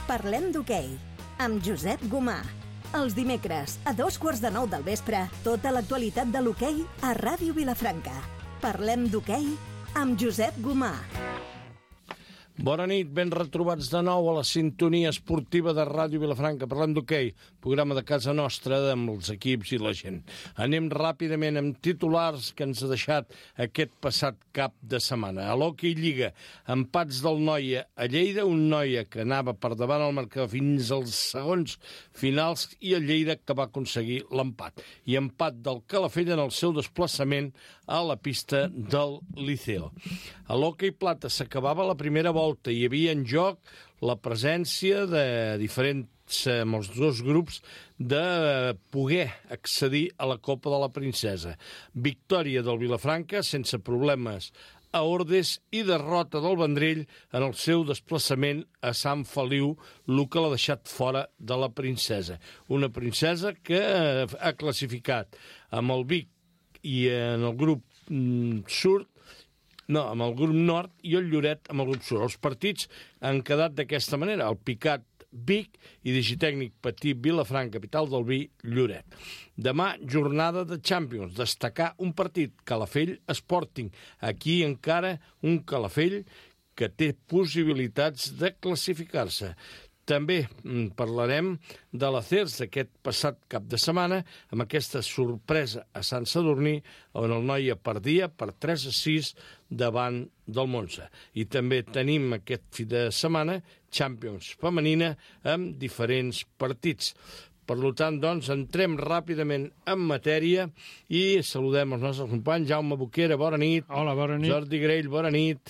Parlem d'hoquei, amb Josep Gomà. Els dimecres, a 8:45 del vespre, tota l'actualitat de l'hoquei a Ràdio Vilafranca. Parlem d'hoquei amb Josep Gomà. Bona nit, ben retrobats de nou a la sintonia esportiva de Ràdio Vilafranca. Parlem d'hoquei, programa de casa nostra amb els equips i la gent. Anem ràpidament amb titulars que ens ha deixat aquest passat cap de setmana. A l'Hockey Lliga, empats del Noia a Lleida, un Noia que anava per davant al marcador fins als segons finals i el Lleida que va aconseguir l'empat. I empat del Calafell en el seu desplaçament a la pista del Liceo. A l'Hockey Plata s'acabava la primera volta. Hi havia en joc la presència de diferents, amb els dos grups, de poder accedir a la Copa de la Princesa. Victòria del Vilafranca, sense problemes, a Ordes, i derrota del Vendrell en el seu desplaçament a Sant Feliu, el que l'ha deixat fora de la Princesa. Una Princesa que ha classificat amb el Vic i en el grup sud, amb el grup nord, i el Lloret amb el grup sud. Els partits han quedat d'aquesta manera: el Picat Vic i Digitècnic Patí Vilafranca, capital del vi, Lloret. Demà, jornada de Champions. Destacar un partit, Calafell Sporting. Aquí encara un Calafell que té possibilitats de classificar-se. També parlarem de l'Acers d'aquest passat cap de setmana, amb aquesta sorpresa a Sant Sadurní, on el Noia perdia per 3-6 davant del Monza. I també tenim aquest fi de setmana Champions femenina amb diferents partits. Per tant, doncs, entrem ràpidament en matèria i saludem els nostres companys. Jaume Boquera, bona nit. Hola, bona nit. Jordi Grell, bona nit.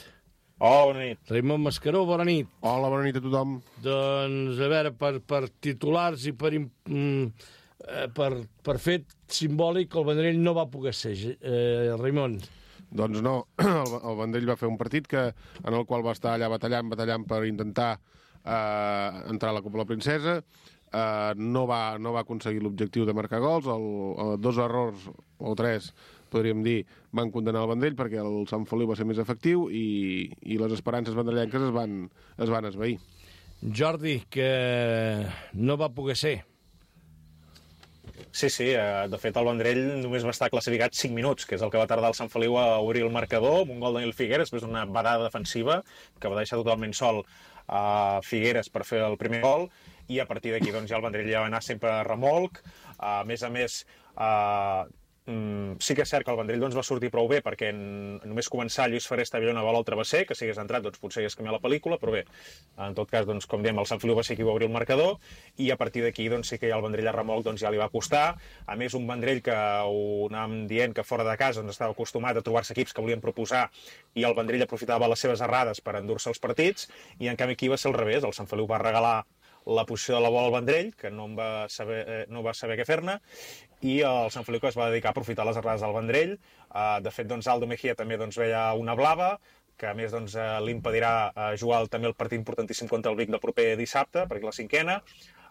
Hola, bona nit. Raimon Mascaró, bona nit. Hola, bona nit a tothom. Doncs, a veure, per titulars i per fet simbòlic, el Vendrell no va poder ser. Raimon. Doncs no, el Vendrell va fer un partit en el qual va estar allà batallant per intentar entrar a la Copa de la Princesa. No va aconseguir l'objectiu de marcar gols. Dos errors, o tres, podríem dir, van condenar el Vendrell perquè el Sant Feliu va ser més efectiu i les esperances vendrellenques es van esvair. Jordi, que no va poder ser. Sí, de fet el Vendrell només va estar classificat 5 minuts, que és el que va tardar el Sant Feliu a obrir el marcador, amb un gol de Nil Figueres, després d'una barada defensiva que va deixar totalment sol a Figueres per fer el primer gol, i a partir d'aquí doncs, ja el Vendrell ja va anar sempre a remolc. A més, sí que és cert que el Vendrell doncs, va sortir prou bé, perquè només començar Lluís Ferrer estava una bola al travesser, que si hagués entrat doncs, potser hagués canviat la pel·lícula, però bé, en tot cas, doncs, com diem, el Sant Feliu va ser qui va obrir el marcador, i a partir d'aquí doncs, sí que ja el Vendrell a remolc doncs, ja li va costar. A més, un Vendrell que ho anàvem dient que fora de casa doncs, estava acostumat a trobar-se equips que volien proposar, i el Vendrell aprofitava les seves errades per endur-se els partits, i en canvi aquí va ser al revés. El Sant Feliu va regalar la posició de la bola al Vendrell, que no va saber què fer-ne, i el Sant Feliu que es va dedicar a aprofitar les errades del Vendrell. De fet, doncs, Aldo Mejía també doncs, veia una blava, que a més doncs, li impedirà jugar també el partit importantíssim contra el Vic del proper dissabte, perquè la 5a.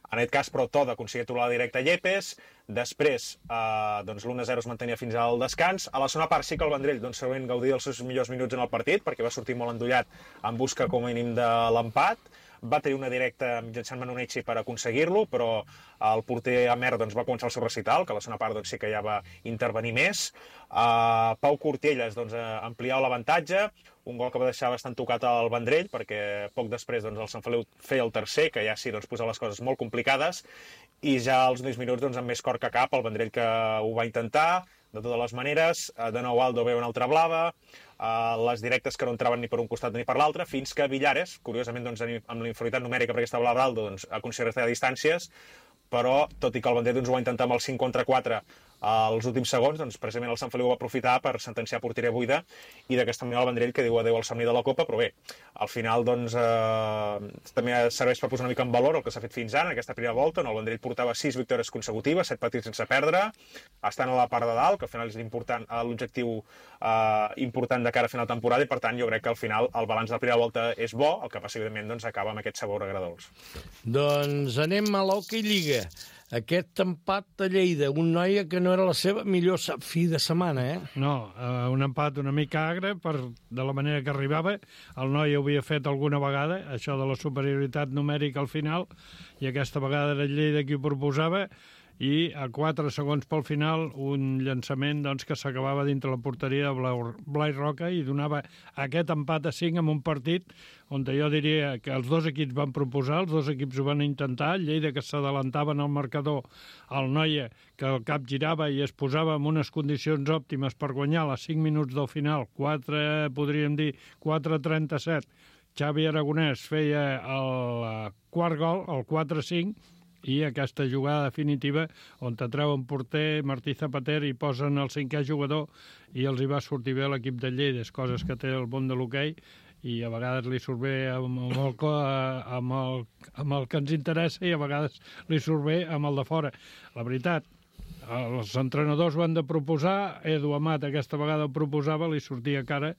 En aquest cas, però, Toda aconseguia trobar la directa a Yepes. Després, doncs, l'1-0 es mantenia fins al descans. A la segona part sí que el Vendrell doncs, segurament gaudia dels seus millors minuts en el partit, perquè va sortir molt endollat en busca com a mínim de l'empat. Va tenir una directa mitjançant Manonetxi per aconseguir-lo, però el porter Amer doncs, va començar el seu recital, que a la segona part doncs, sí que ja va intervenir més. Pau Cortielles doncs, ampliava l'avantatge, un gol que va deixar bastant tocat al Vendrell, perquè poc després doncs, el Sant Feliu feia el tercer, que ja sí doncs, posava les coses molt complicades, i ja als 10 minuts doncs, amb més cor que cap, el Vendrell que ho va intentar, de totes les maneres. De nou Aldo veu una altra blava, les directes que no entraven ni per un costat ni per l'altre, fins que Villares, curiosament doncs, amb la inferioritat numèrica per aquesta blava d'Aldo, doncs, aconseguia restar a distàncies, però tot i que el Vendrell doncs, ho va intentar amb el 5 contra 4 als últims segons, doncs, precisament el Sant Feliu va aprofitar per sentenciar porteria buida, i d'aquesta manera el Vendrell que diu adéu al somni de la Copa. Però bé, al final doncs, també serveix per posar una mica en valor el que s'ha fet fins ara en aquesta primera volta, on el Vendrell portava 6 victòries consecutives, 7 partits sense perdre, estan a la part de dalt, que al final és l'objectiu important de cara a final de temporada, i per tant jo crec que al final el balanç de la primera volta és bo, el que passa evidentment doncs, acaba amb aquest sabor agradolç. Doncs anem a l'Hockey Lliga. aquest empat a Lleida, un Noia que no era la seva millor fi de setmana, No, un empat una mica agre de la manera que arribava. El Noia ho havia fet alguna vegada, això de la superioritat numèrica al final, i aquesta vegada era Lleida qui ho proposava, i a 4 segons pel final un llançament doncs, que s'acabava dintre la porteria de Blai Roca i donava aquest empat a 5 en un partit on jo diria que els dos equips van proposar, els dos equips ho van intentar, Lleida que s'adelantava en el marcador, el Noia que el cap girava i es posava en unes condicions òptimes per guanyar a 5 minuts del final, 4:37, Xavi Aragonès feia el quart gol, el 4-5, i aquesta jugada definitiva on t'atreuen porter Martí Zapater i posen el 5è jugador i els hi va sortir bé l'equip de Lleida, coses que té el món de l'hoquei i a vegades li surt bé amb el que ens interessa i a vegades li surt bé amb el de fora. La veritat, els entrenadors ho han de proposar, Edu Amat aquesta vegada ho proposava, li sortia cara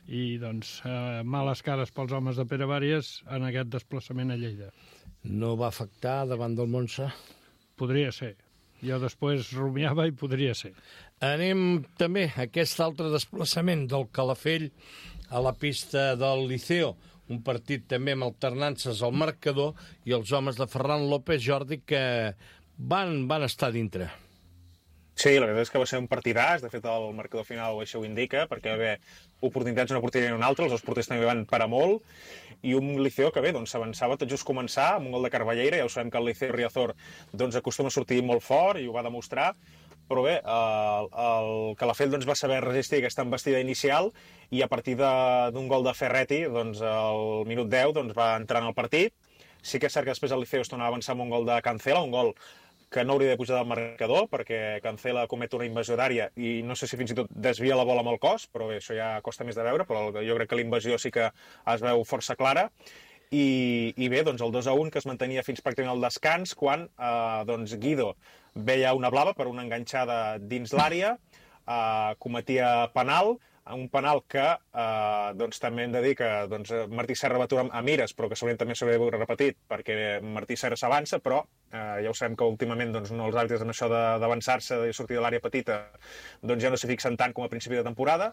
i doncs males cares pels homes de Pere Vàries en aquest desplaçament a Lleida. No va afectar davant del Montse? Podria ser. Jo després rumiava i podria ser. Anem també a aquest altre desplaçament del Calafell a la pista del Liceo. Un partit també amb alternances al marcador i els homes de Ferran López, Jordi, que van estar dintre. Sí, la veritat és que va ser un partidàs. De fet, el marcador final això ho indica, perquè va haver oportunitats una porteria i una altra, els dos porters també van parar molt, i un Liceo que bé, doncs s'avançava tot just començar amb un gol de Carballeira. Ja ho sabem que el Liceo Riazor doncs, acostuma a sortir molt fort i ho va demostrar, però bé, el Calafell doncs, va saber resistir aquesta embestida inicial i a partir d'un gol de Ferretti, doncs, al minut 10 doncs, va entrar en el partit. Sí que és cert que després el Liceo es tornava a avançar amb un gol de Cancela, un gol que no hauria de pujar del marcador, perquè Cancela comet una invasió d'àrea i no sé si fins i tot desvia la bola amb el cos, però bé, això ja costa més de veure, però jo crec que la invasió sí que es veu força clara. I bé, doncs el 2-1 que es mantenia fins pràcticament al descans, quan doncs Guido veia una blava per una enganxada dins l'àrea, cometia penal, un penal que doncs, també hem de dir que doncs, Martí Serra va aturar a mires, però que segurament també s'hauria d'haver repetit, perquè Martí Serra s'avança, però ja ho sabem que últimament doncs, els àrbitres en això d'avançar-se, de sortir de l'àrea petita, doncs ja no s'hi fixen tant com a principi de temporada.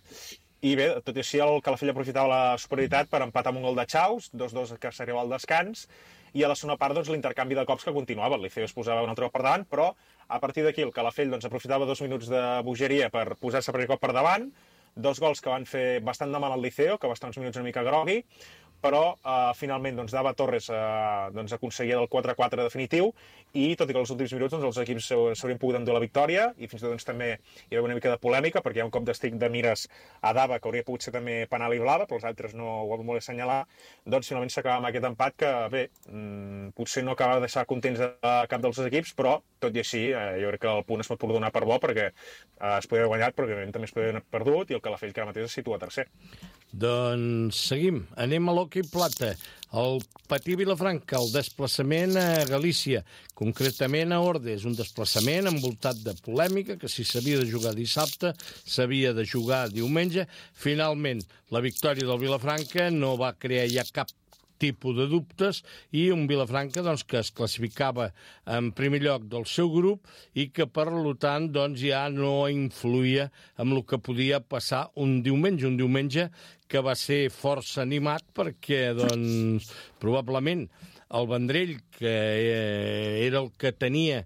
I bé, tot i així, el Calafell aprofitava la superioritat per empatar amb un gol de Chaus, 2-2 que s'arriba al descans, i a la segona part doncs, l'intercanvi de cops que continuava. El Liceo es posava un altre cop per davant, però a partir d'aquí el Calafell doncs, aprofitava 2 minuts de bogeria per posar-se per cop per davant, 2 gols que van fer bastant de mal al Liceo, que va estar uns minuts una mica grogui, però finalment doncs, Dava Torres doncs, aconseguia el 4-4 definitiu i tot i que els últims minuts doncs, els equips s'haurien pogut endur la victòria i fins i tot doncs, també hi ha una mica de polèmica perquè hi ha un cop d'estic de mires a Dava que hauria pogut ser també penal i blava, però els altres no ho van voler assenyalar, doncs finalment s'acaba amb aquest empat que bé, potser no acaba de deixar contents a cap dels dos equips, però tot i així jo crec que el punt es pot donar per bo perquè es podria haver guanyat però també es podria haver perdut i el Calafell que ara mateix es situa tercer. Doncs seguim, anem a l'hoquei plata. El Patí Vilafranca, el desplaçament a Galícia, concretament a Ordes, un desplaçament envoltat de polèmica, que si s'havia de jugar dissabte, s'havia de jugar diumenge. Finalment, la victòria del Vilafranca no va crear ja cap tipus de dubtes i un Vilafranca doncs, que es classificava en primer lloc del seu grup i que per tant doncs, ja no influïa amb el que podia passar un diumenge que va ser força animat perquè doncs, probablement el Vendrell, que era el que tenia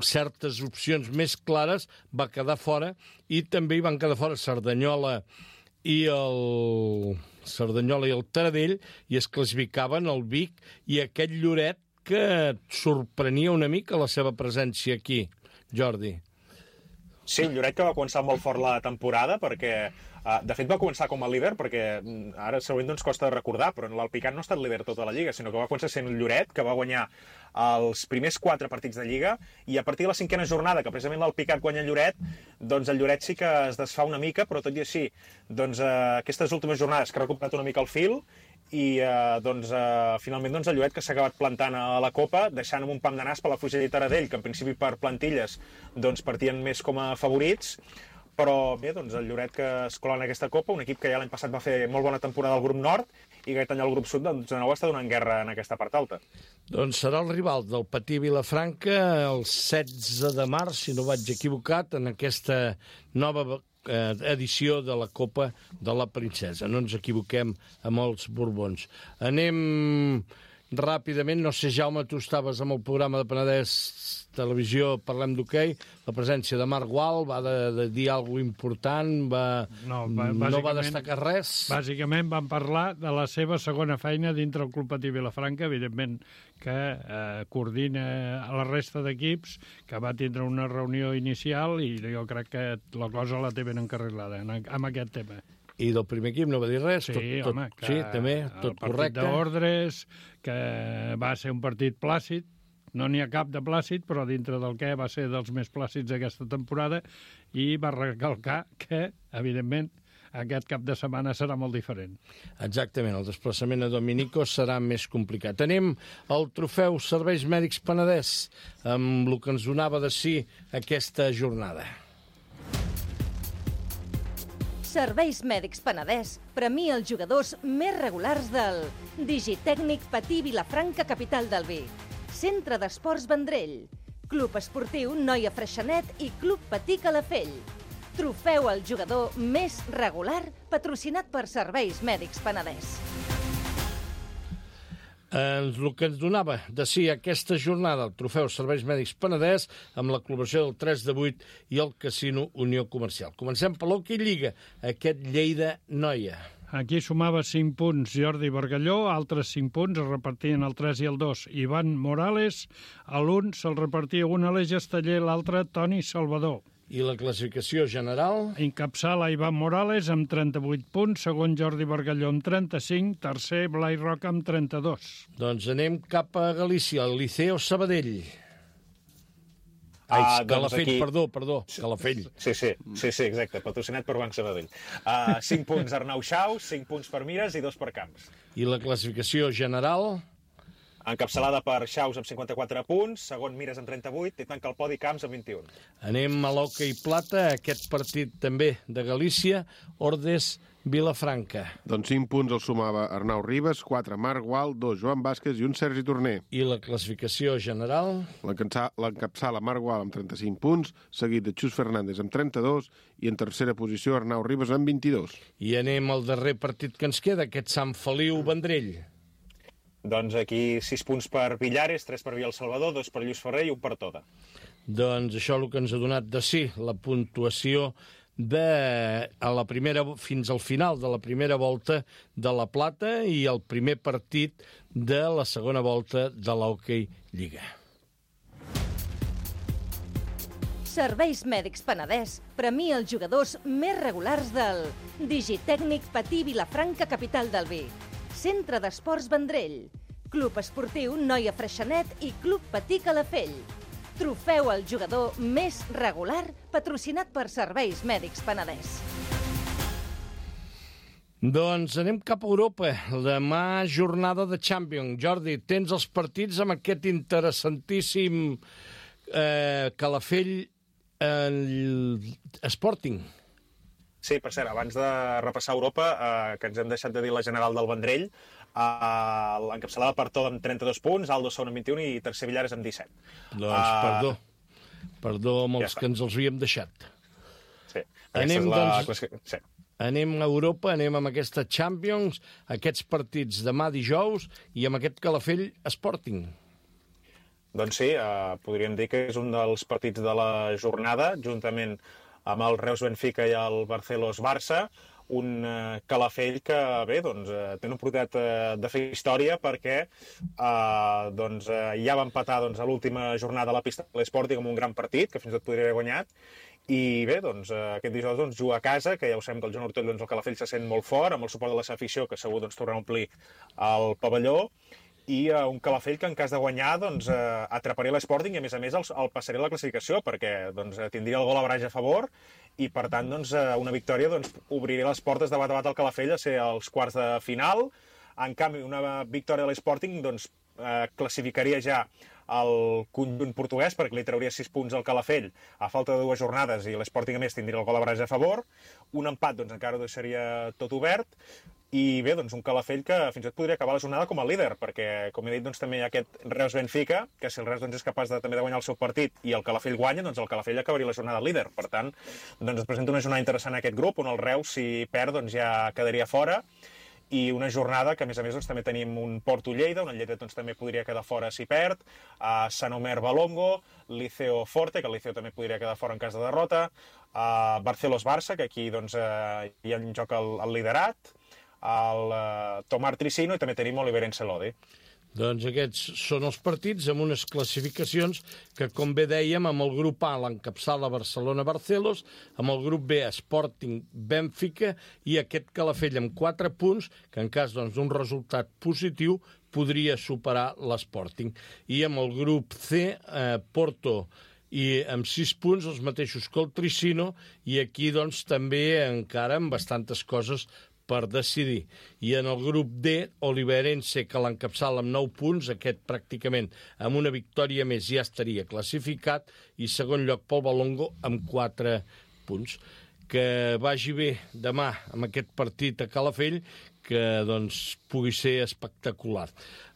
certes opcions més clares, va quedar fora i també hi van quedar fora Cerdanyola i el Taradell i es classificaven el Vic i aquest Lloret que sorprenia una mica la seva presència aquí, Jordi. Sí, el Lloret que va començar molt fort la temporada perquè de fet va començar com a líder perquè ara segurament doncs costa de recordar, però l'Alpicat no ha estat líder tota la Lliga, sinó que va començar sent el Lloret, que va guanyar els primers 4 partits de Lliga i a partir de la 5a jornada, que precisament l'Alpicat guanya el Lloret, doncs el Lloret sí que es desfà una mica, però tot i així doncs, aquestes últimes jornades que ha recuperat una mica el fil i doncs, finalment doncs, el Lloret que s'ha acabat plantant a la Copa, deixant amb un pam de nas per la Fugella i Taradell, que en principi per plantilles doncs, partien més com a favorits, però bé, doncs el Lloret que es cola en aquesta Copa, un equip que ja l'any passat va fer molt bona temporada al grup nord i que aquest any el grup sud doncs, de nou està donant guerra en aquesta part alta. Doncs serà el rival del Patí Vilafranca el 16 de març, si no vaig equivocat, en aquesta nova edició de la Copa de la Princesa. No ens equivoquem amb els Borbons. Anem ràpidament, no sé, Jaume, tu estaves amb el programa de Penedès Televisió, parlem d'hoquei, la presència de Marc Gual va de dir alguna cosa important, no va destacar res. Bàsicament van parlar de la seva segona feina dintre el Club Patí Vilafranca, evidentment que coordina a la resta d'equips, que va tindre una reunió inicial i jo crec que la cosa la té ben encarrilada amb aquest tema. I del primer equip no va dir res? Sí, home, que sí, també, tot correcte. El partit d'ordres, que va ser un partit plàcid, no n'hi ha cap de plàcid, però dintre del que va ser dels més plàcids aquesta temporada, i va recalcar que, evidentment, aquest cap de setmana serà molt diferent. Exactament, el desplaçament a Dominico serà més complicat. Anem al trofeu Serveis Mèdics Penedès, amb el que ens donava de si aquesta jornada. Serveis Mèdics Penedès premia els jugadors més regulars del Digitècnic Patí Vilafranca, capital del vi, Centre d'Esports Vendrell, Club Esportiu Noia Freixenet i Club Patí Calafell. Trofeu al jugador més regular patrocinat per Serveis Mèdics Penedès. El que ens donava de si aquesta jornada el trofeu Serveis Mèdics Penedès amb la col·laboració del 3 de 8 i el Casino Unió Comercial. Comencem per l'Hockey Lliga, aquest Lleida Noia. Aquí sumava 5 punts Jordi Bargalló, altres 5 punts es repartien el 3 i el 2. Ivan Morales, a l'1 se'l repartia un Aleix Esteller, l'altre Toni Salvador. I la classificació general? Encapçala Ivan Morales amb 38 punts, segon Jordi Bargalló amb 35, tercer Blai Roca amb 32. Doncs anem cap a Galícia, el Liceo Sabadell. Ai, Calafell, doncs aquí... perdó, Calafell. Sí, exacte, patrocinat per Banc Sabadell. 5 punts Arnau Xaus, 5 punts per Mires i 2 per Camps. I la classificació general? Encapçalada per Xaus amb 54 punts, segon Mires amb 38 i tanca el podi Camps amb 21. Anem a l'hoquei plata, aquest partit també de Galícia, Ordes Vilafranca. Doncs 5 punts el sumava Arnau Ribas, 4 Marc Gual, 2 Joan Vázquez i 1 Sergi Torner. I la classificació general? L'encapçala Marc Gual amb 35 punts, seguit de Xus Fernández amb 32 i en tercera posició Arnau Ribas amb 22. I anem al darrer partit que ens queda, aquest Sant Feliu-Vendrell. Doncs aquí 6 punts per Villares, 3 per Via El Salvador, 2 per Lluís Ferrer i 1 per Toda. Doncs això és el que ens ha donat de si, la puntuació fins al final de la primera volta de la Plata i el primer partit de la segona volta de l'Hockey Lliga. Serveis Mèdics Penedès premia els jugadors més regulars del Digitècnic Patí Vilafranca, capital del vi, Centre d'Esports Vendrell, Club Esportiu Noia Freixenet i Club Patí Calafell. Trofeu al jugador més regular patrocinat per Serveis Mèdics Penedès. Doncs anem cap a Europa. Demà jornada de Champions. Jordi, tens els partits amb aquest interessantíssim Calafell Sporting. Sí, per cert, abans de repassar Europa, que ens hem deixat de dir la general del Vendrell, l'encapçalada per Toda amb 32 punts, Aldo Son amb 21 i tercer Villares amb 17. Doncs perdó amb els que ens els havíem deixat. Sí, anem a Europa, anem amb aquesta Champions, aquests partits demà dijous i amb aquest Calafell Sporting. Doncs sí, podríem dir que és un dels partits de la jornada, juntament amb el Reus Benfica i el Barcelos Barça, un Calafell que, bé, doncs, té una oportunitat de fer història perquè ja va empatar a l'última jornada a la pista de l'Sporting amb un gran partit, que fins i tot podria haver guanyat, i bé, doncs, aquest dijous juga a casa, que ja ho sabem que el Joan Ortell, el Calafell se sent molt fort, amb el suport de la seva afició, que segur tornarà a omplir el pavelló, i un Calafell que en cas de guanyar atraparia l'Sporting i a més el passaria a la classificació perquè tindria el gol average a favor i per tant una victòria obriria les portes de bat a bat al Calafell a ser als quarts de final En canvi, una victòria de l'Sporting doncs, classificaria ja el conjunt portuguès, perquè li trauria 6 punts al Calafell a falta de 2 jornades i l'Sporting, a més, tindria el gol de barreja a favor. Un empat doncs, encara ho deixaria tot obert. I bé, doncs un Calafell que fins i tot podria acabar la jornada com a líder, perquè, com he dit, doncs, també hi ha aquest Reus-Benfica, que si el Reus doncs, és capaç també de guanyar el seu partit i el Calafell guanya, doncs el Calafell acabaria la jornada líder. Per tant, doncs, es presenta una jornada interessant a aquest grup, on el Reus, si perd, doncs, ja quedaria fora, i una jornada que, a més, doncs, també tenim un Porto-Lleida, on el Lleida doncs, també podria quedar fora si perd, Sant Omer-Balongo, Liceo-Forte, que el Liceo també podria quedar fora en cas de derrota, Barcelos-Barça, que aquí doncs, hi ha en joc el liderat, el Tomar Tricino, i també tenim Oliveirense Lodi. Doncs aquests són els partits amb unes classificacions que, com bé dèiem, amb el grup A l'encapçala Barcelona-Barcelos, amb el grup B Sporting-Benfica i aquest Calafell amb 4 punts, que en cas d'un resultat positiu podria superar l'Sporting. I amb el grup C, Porto, i amb 6 punts, els mateixos que el Tricino, i aquí doncs també encara amb bastantes coses per decidir. I en el grup D, Oliveirense, que l'encapçala amb 9 punts, aquest pràcticament amb una victòria més ja estaria classificat, i segon lloc pel Balongo amb 4 punts. Que vagi bé demà amb aquest partit a Calafell, que doncs pugui ser espectacular.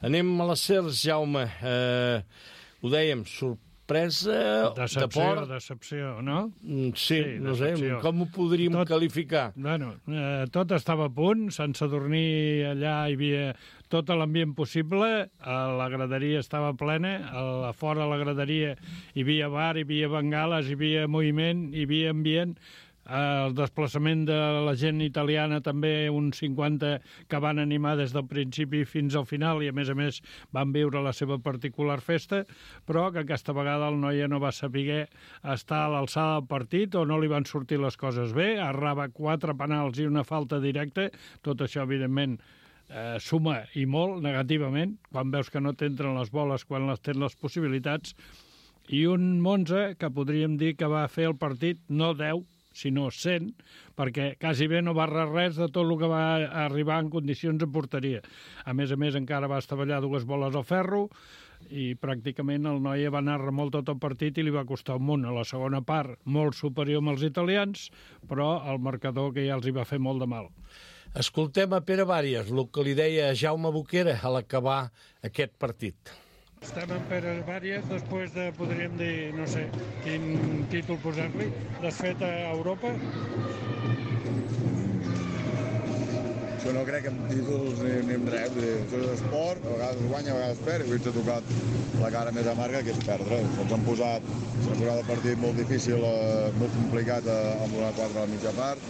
Anem a les Cers, Jaume. Ho dèiem, sorpresa, Decepció, no? Sí, no sé, com ho podríem qualificar? Bueno, tot estava a punt, Sant Sadurní allà hi havia tot l'ambient possible, la graderia estava plena, a fora de la graderia hi havia bar, hi havia bengales, hi havia moviment, hi havia ambient. El desplaçament de la gent italiana també, uns 50 que van animar des del principi fins al final i a més van viure la seva particular festa, però que aquesta vegada el Noia no va saber estar a l'alçada del partit o no li van sortir les coses bé, errava 4 penals i una falta directa, tot això evidentment suma i molt negativament, quan veus que no t'entren les boles quan les tens les possibilitats, i un Monza que podríem dir que va fer el partit no 10, sinó 100, perquè quasi bé no va res de tot el que va arribar en condicions de porteria. A més, encara va estavellar 2 boles al ferro i pràcticament el Noia va anar remolc tot el partit i li va costar un munt. A la segona part, molt superior amb els italians, però el marcador que ja els hi va fer molt de mal. Escoltem a Pere Vàries, el que li deia a Jaume Boquera a l'acabar aquest partit. Estem en Pere Vàries després de, podríem dir, no sé, quin títol posar-li, desfet a Europa. Jo no crec en títols ni en res, això és esport, a vegades guanya, a vegades perd, i avui ens ha tocat la cara més amarga, que és perdre. Ens han posat el partit molt difícil, molt complicat amb una 4 a la mitja part,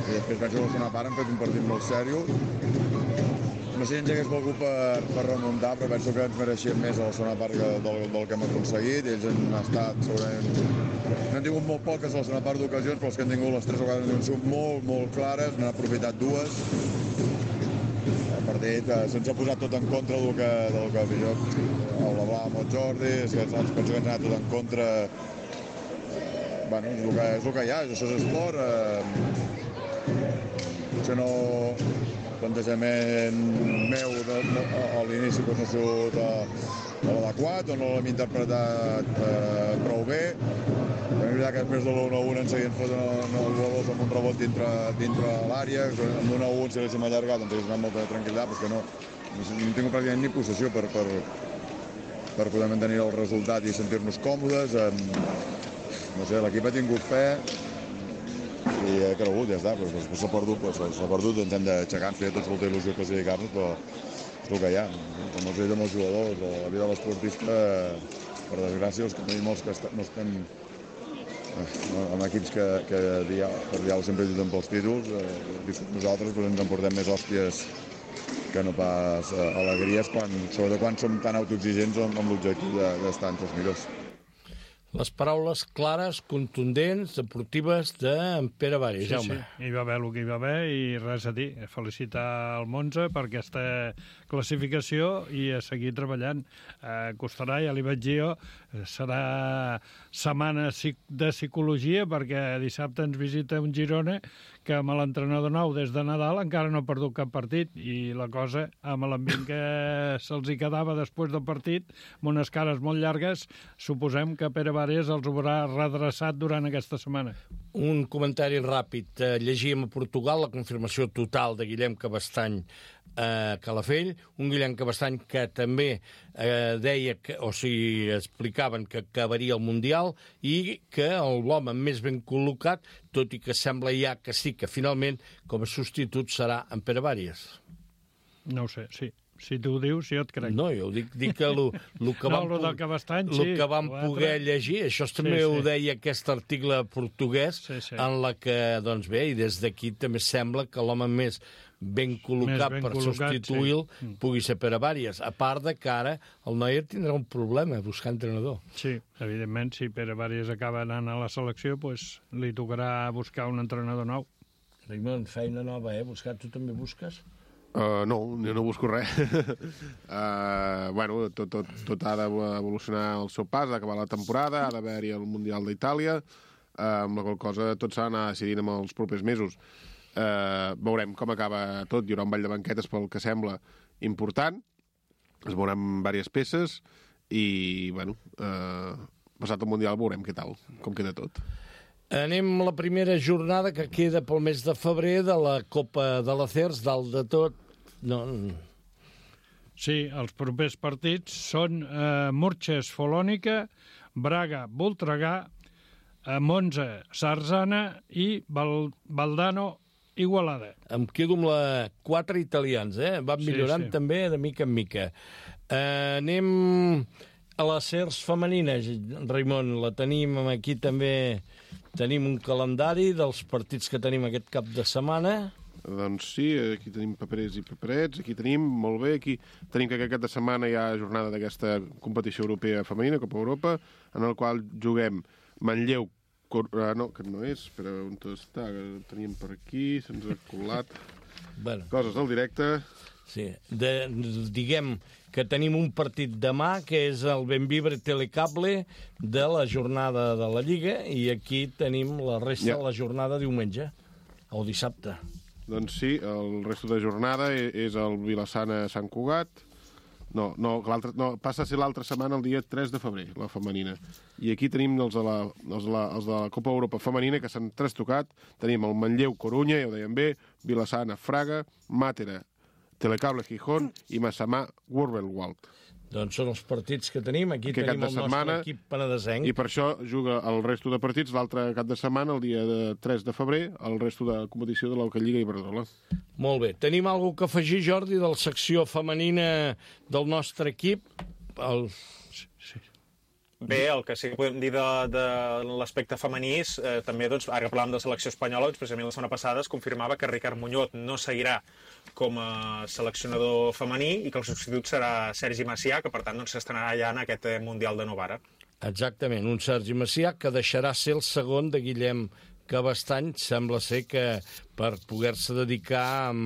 i després penso que a la segona part han fet un partit molt seriós. No sé si ens hagués volgut per remuntar, però penso que ens mereixíem més a la segona part del que hem aconseguit. Ells han estat, segurament, n'han tingut molt poques a la segona part d'ocasions, però els que han tingut les 3 ocasions han sigut molt clares, n'han aprofitat 2. El partit se'ns ha posat tot en contra del que jo hablava amb el Jordi, és que penso que ens ha anat tot en contra. Bueno, és el que hi ha, això és esport. Potser no... plantejament meu a l'inici no ha sigut l'adequat o no l'hem interpretat prou bé. També és veritat que després de l'1-1 ens seguien fotent els gols amb un rebot dintre l'àrea, amb l'1-1 si l'haguéssim allargat ens haguéssim anat molta tranquil·litat, perquè no hem tingut pràcticament ni possessió per poder mantenir el resultat i sentir-nos còmodes. No sé, l'equip ha tingut fe, i he cregut, ja està, però després s'ha perdut, ens hem d'aixecar, ens feia tots molta il·lusió classificar-nos, però és el que hi ha. Com els veig amb els jugadors, la vida de l'esportista, per desgràcia, els que tenim molts que no estem en equips que per diàleg sempre lluiten pels títols, nosaltres ens emportem més hòsties que no pas alegries, sobretot quan som tan autoexigents amb l'objectiu d'estar entre els millors. Les paraules clares, contundents, deportives d'en Pere Vàries, Jaume. Sí, hi va haver el que hi va haver i res a dir. Felicitar el Monza per aquesta classificació i a seguir treballant. Costarà, ja li vaig dir jo, serà setmana de psicologia perquè dissabte ens visita un Girona que amb l'entrenador nou des de Nadal encara no ha perdut cap partit i la cosa, amb l'ambient que se'ls hi quedava després del partit, amb unes cares molt llargues, suposem que Pere Vares els haurà redreçat durant aquesta setmana. Un comentari ràpid. Llegíem a Portugal la confirmació total de Guillem Cabestany a Calafell, un Guillem Cabestany que també deia, explicaven que acabaria el Mundial i que l'home més ben col·locat, tot i que sembla ja que sí, que finalment com a substitut serà en Pere Vares. No ho sé, sí. Si tu ho dius, jo et crec. No, jo dic que el que vam, que vam poder llegir, això també ho deia aquest article portuguès, en la que, doncs bé, i des d'aquí també sembla que l'home més ben col·locat per substituir-lo pugui ser Pere Vares. A part de que ara el Neuer tindrà un problema buscar entrenador. Sí, evidentment, si Pere Vares acaba anant a la selecció, doncs li tocarà buscar un entrenador nou. Raimon, feina nova, buscar, tu també busques? No, jo no busco res. Bueno, tot ha d'evolucionar el seu pas, ha d'acabar la temporada, ha d'haver-hi el Mundial d'Itàlia, amb la qual cosa tot s'ha d'anar decidint en els propers mesos. Veurem com acaba tot, hi haurà un ball de banquetes pel que sembla important, es veuran diverses peces i, bueno, passat el Mundial veurem què tal, com queda tot. Anem a la primera jornada que queda pel mes de febrer de la Copa de l'Acers, dalt de tot. No. Sí, els propers partits són Murges Folònica, Braga Voltregà, Monza Sarzana i Valdano Igualada. Em quedo amb la 4 italians, van millorant també de mica en mica. Anem a la CERS femenina, Raimon, la tenim aquí també, tenim un calendari dels partits que tenim aquest cap de setmana. Doncs sí, aquí tenim paperers i paperets, aquí tenim, molt bé, aquí tenim que aquest cap de setmana hi ha jornada d'aquesta competició europea femenina, Copa Europa, en el qual juguem Manlleu, no, que no és, però on està, que teníem per aquí, se'ns ha colat, coses del directe. Sí, diguem que tenim un partit demà, que és el Benvibre Telecable de la jornada de la Lliga, i aquí tenim la resta de la jornada diumenge, o dissabte. Doncs sí, el resto de jornada és el Vilassana-Sant Cugat. No, passa a ser l'altra setmana, el dia 3 de febrer, la femenina. I aquí tenim els de la Copa Europa femenina, que s'han trastocat. Tenim el Manlleu-Corunya, ja ho dèiem bé, Vilassana-Fraga, Màtera, Telecable Gijón i Massamà-Wurbelwald. Doncs són els partits que tenim. Aquí tenim el nostre equip penedesenc. I per això juga el resto de partits l'altre cap de setmana, el dia 3 de febrer, el resto de competició de l'Hockey Lliga Iberdrola. Molt bé. Tenim alguna cosa que afegir, Jordi, de la secció femenina del nostre equip? Bé, el que sí que podem dir de l'aspecte femení és també, doncs, ara que parlàvem de selecció espanyola, doncs, precisament la setmana passada es confirmava que Ricard Muñoz no seguirà com a seleccionador femení i que el substitut serà Sergi Macià, que per tant doncs, s'estrenarà ja en aquest Mundial de Novara. Exactament, un Sergi Macià que deixarà ser el segon de Guillem Cabestany, sembla ser que per poder-se dedicar a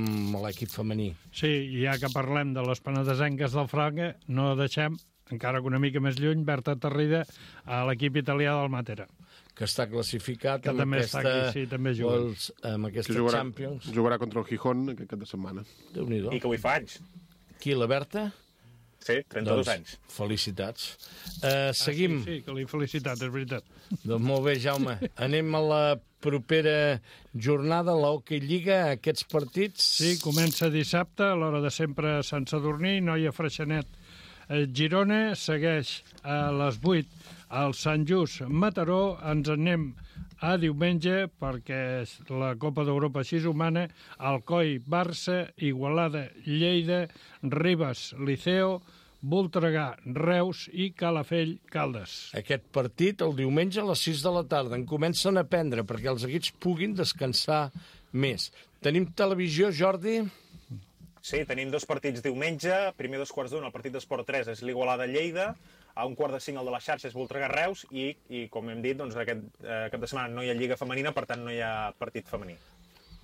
l'equip femení. Sí, ja que parlem de les penedesenques del Fraga, no deixem, encara que una mica més lluny, Berta Tarrida a l'equip italià del Màtera. Que està classificat que amb aquesta, aquí, sí, també amb aquesta Champions. Jugarà contra el Gijón aquest cap de setmana. Déu-n'hi-do. I que avui fa anys. Qui, la Berta? Sí, 32 anys. Felicitats. Seguim. Sí, que li felicitat, és veritat. Doncs molt bé, Jaume. Anem a la propera jornada, la Hockey Lliga, aquests partits. Sí, comença dissabte, a l'hora de sempre a Sant Sadurní, Noia Freixenet. Girona segueix a les 8 al Sant Just Mataró. Ens anem a diumenge perquè la Copa d'Europa així humana, Alcoi, Barça, Igualada, Lleida, Ribes, Liceo, Voltregà, Reus i Calafell, Caldes. Aquest partit el diumenge a les 6 de la tarda. En comencen a prendre perquè els equips puguin descansar més. Tenim televisió, Jordi? Sí, tenim dos partits diumenge. Primer 2:15, el partit d'Esport 3 és l'Igualada-Lleida. A 4:45 el de la xarxa és Voltregà-Reus i com hem dit, doncs, aquest cap de setmana no hi ha Lliga femenina, per tant no hi ha partit femení.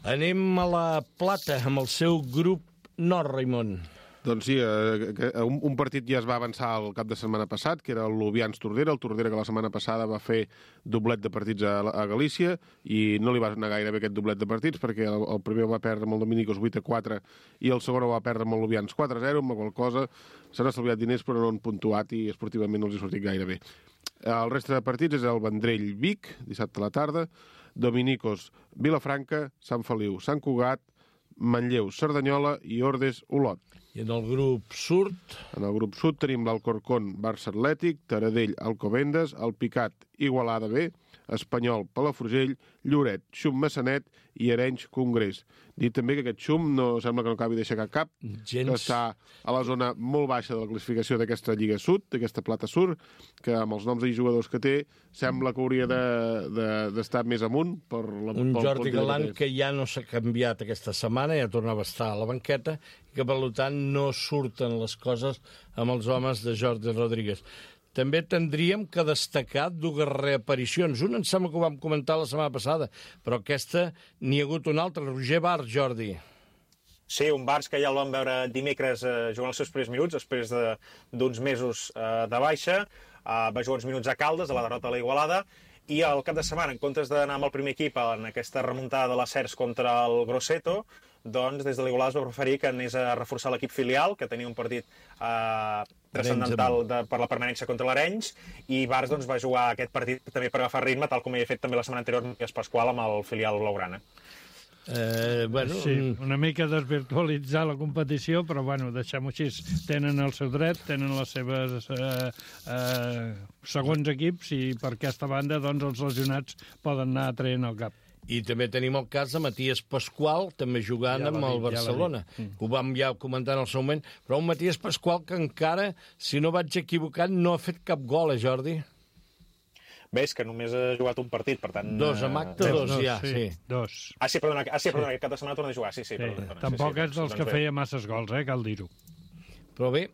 Anem a la Plata amb el seu grup nord, Raimon. Doncs sí, un partit ja es va avançar el cap de setmana passat, que era el Lubians-Tordera, el Tordera que la setmana passada va fer doblet de partits a Galícia, i no li va anar gaire bé aquest doblet de partits, perquè el primer va perdre amb el Dominicos 8-4 i el segon va perdre amb el Lubians 4-0, amb la qual cosa s'han estalviat diners però no han puntuat i esportivament no els ha sortit gaire bé. El reste de partits és el Vendrell-Vic, dissabte a la tarda, Dominicos, Vilafranca, Sant Feliu, Sant Cugat, Manlleu, Cerdanyola i Ordes-Olot. I en el grup sud? En el grup sud tenim l'Alcorcón, Barça Atlètic, Taradell, Alcobendas, el Picat, Igualada B, Espanyol, Palafrugell, Lloret, Xum, Massanet i Arenys, Congrés. Dit també que aquest Xum no sembla que no acabi d'aixecar cap, que està a la zona molt baixa de la classificació d'aquesta Lliga Sud, d'aquesta Plata Sur, que amb els noms i jugadors que té sembla que hauria d'estar més amunt. Un Jordi Galant que ja no s'ha canviat aquesta setmana, ja tornava a estar a la banqueta, i que per tant no surten les coses amb els homes de Jordi Rodríguez. També tindríem que destacar dues reaparicions. Una em sembla que ho vam comentar la setmana passada, però aquesta n'hi ha hagut una altra. Roger Barç, Jordi. Sí, un Barç que ja el vam veure dimecres jugant els seus primers minuts, després d'uns mesos de baixa. Va jugar uns minuts a Caldes, a la derrota a la Igualada, i al cap de setmana, en comptes d'anar amb el primer equip en aquesta remuntada de la Cers contra el Grosseto, doncs des de l'Igualada es va preferir que anés a reforçar l'equip filial, que tenia un partit transcendental per la permanència contra l'Arenys, i Barç doncs, va jugar aquest partit també per agafar ritme, tal com havia fet també la setmana anterior Matías Pascual amb el filial blaugrana. Sí, una mica desvirtualitzar la competició, però bueno, deixem-ho així. Tenen el seu dret, tenen les seves segons equips, i per aquesta banda doncs, els lesionats poden anar traient el cap. I també tenim el cas de Matías Pascual, també jugant amb el Barcelona. Ho vam ja comentar en el seu moment, però un Matías Pascual que encara, si no vaig equivocat, no ha fet cap gol, Jordi? Bé, és que només ha jugat un partit, per tant... Dos, amb acte, dos, ja, sí. Dos. Perdona, aquest cap de setmana torna a jugar, sí. Tampoc és dels que feia masses gols, cal dir-ho. Però bé,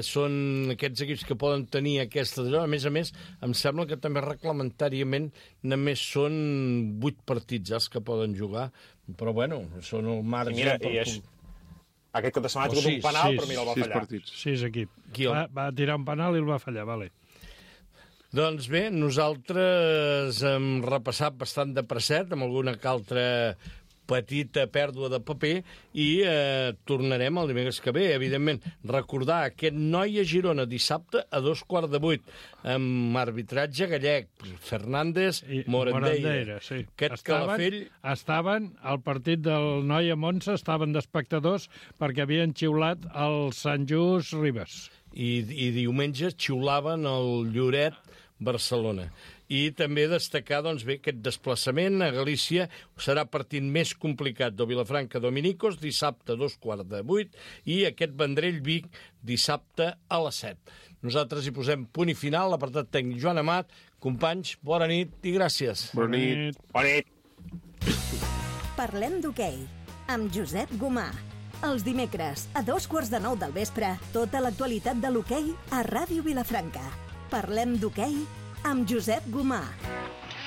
són aquests equips que poden tenir aquesta... A més, em sembla que també reglamentàriament només són 8 partits els que poden jugar, però bueno, són el marge... I mira, aquest cap de setmana ha tingut un penal, però mira, el va fallar. 6 equips. Va tirar un penal i el va fallar, vale. Doncs bé, nosaltres hem repassat bastant de presset, amb alguna que altra petita pèrdua de paper, i tornarem el dimecres que ve. Evidentment, recordar aquest Noia Girona dissabte a 7:15, amb arbitratge gallec, Fernández, Morandeira. Sí. Aquest Calafell... Estaven al partit del Noia Monza, estaven d'espectadors perquè havien xiulat el Sant Just Ribes. I diumenge xiulaven el Lloret Barcelona. I també destacar, doncs bé, aquest desplaçament a Galícia serà partit més complicat de Vilafranca Dominicos, dissabte a 7:15, i aquest Vendrell-Vic dissabte a les 7. Nosaltres hi posem punt i final, l'apartat tècnic Joan Amat. Companys, bona nit i gràcies. Bona nit. Bona nit. Parlem d'hoquei, amb Josep Gomà. Els dimecres, a 9:15 del vespre, tota l'actualitat de l'hoquei a Ràdio Vilafranca. Parlem d'hoquei amb Josep Gomà.